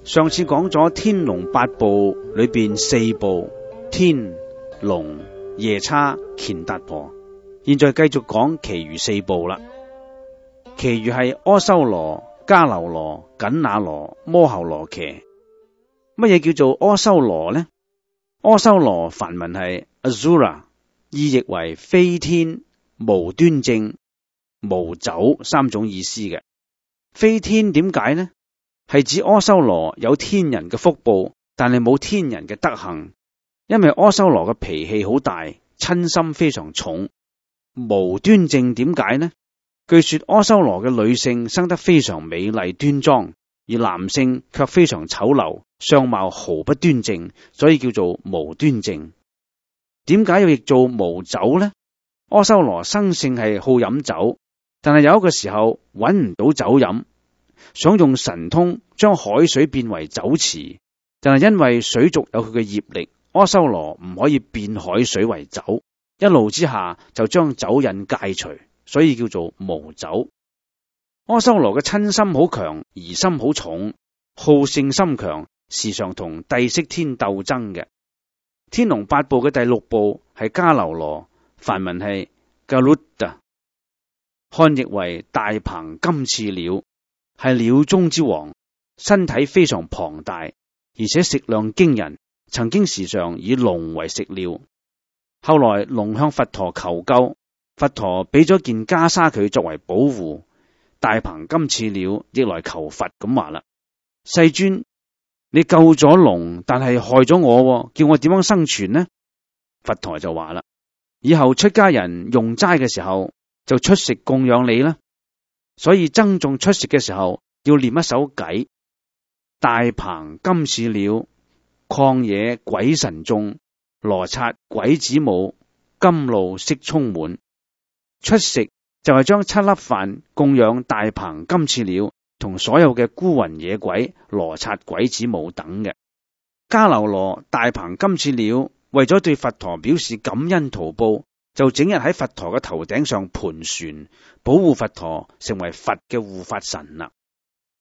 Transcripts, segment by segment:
上次講咗天龍八部裏邊四部天龍夜叉乾達婆，現在繼續講其餘四部啦。其餘係阿修羅、迦樓羅、緊那羅、摩睺羅伽。乜嘢叫做阿修羅呢？阿修羅梵文係 Asura， 意譯為飛天、無端正、無走三種意思嘅。飛天點解呢？係指阿修羅有天人嘅福報，但係冇天人嘅德行，因為阿修羅嘅脾氣好大，嗔心非常重。無端正點解呢？據說阿修羅嘅女性生得非常美麗端莊，而男性卻非常醜陋，相貌毫不端正，所以叫做無端正。點解要譯做無酒呢？阿修羅生性係好飲酒，但係有一個時候揾唔到酒飲，想用神通將海水變為酒池，但係因為水族有佢嘅業力，阿修羅唔可以變海水為酒，一怒之下就將酒癮戒除，所以叫做無酒。阿修羅嘅嗔心好強，疑心好重，好勝心強，時常同帝釋天鬥爭嘅。天龍八部嘅第六部係迦樓羅，梵文係 Garuda， 漢譯為大鵬金翅鳥，係鳥中之王，身體非常龐大，而且食量驚人，曾經時常以龍為食料。後來龍向佛陀求救，佛陀俾咗件袈裟佢作為保護。大鵬金翅鳥亦來求佛咁話啦：世尊，你救咗龍，但係害咗我，叫我點樣生存呢？佛陀就話啦：以後出家人用齋嘅時候就出食供養你啦。所以僧眾出食嘅時候要念一首偈：大鵬金翅鳥，曠野鬼神眾，羅剎鬼子母，甘露悉充滿。出食就係將7粒飯供養大鵬金翅鳥同所有嘅孤魂野鬼、羅剎鬼子母等嘅。迦樓羅大鵬金翅鳥為咗對佛陀表示感恩圖報，就整日喺佛陀嘅頭頂上盤旋，保護佛陀，成為佛嘅護法神啦。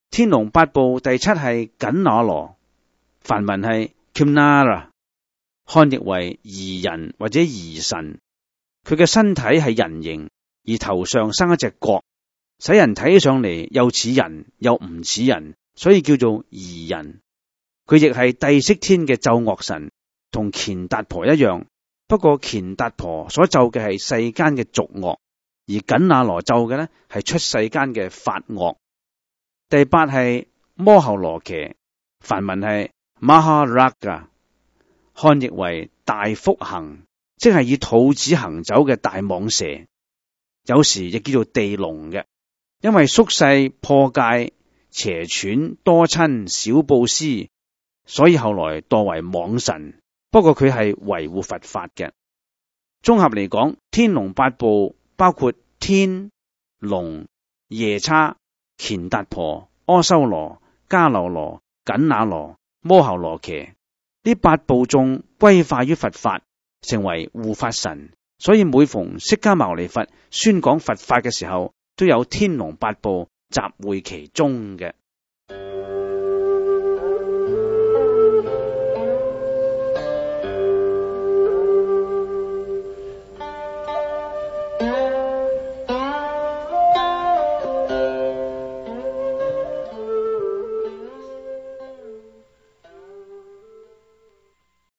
天龍八部第七係緊那羅，梵文係 Kimnara， 漢譯為擬人或者擬神。佢嘅身體係人形，而頭上生一隻角，使人睇起上嚟又似人又唔似人，所以叫做擬人。佢亦係帝釋天嘅奏樂神，同乾達婆一樣。不過乾達婆所奏嘅係世間嘅俗樂，而緊那羅奏嘅呢係出世間嘅法樂。第八係摩睺羅伽，梵文係 Maharaga， 漢譯為大腹行，即係以肚子行走嘅大蟒蛇，有時亦叫做地龍嘅。因為宿世破戒、邪竄、多親、少布施，所以後來墮為蟒神。不過佢係維護佛法嘅。綜合嚟講，天龍八部包括天龍、夜叉、乾達婆、阿修羅、迦樓羅、緊那羅、摩睺羅伽，呢八部眾歸化於佛法，成為護法神。所以每逢釋迦牟尼佛宣講佛法嘅時候，都有天龍八部集會其中嘅。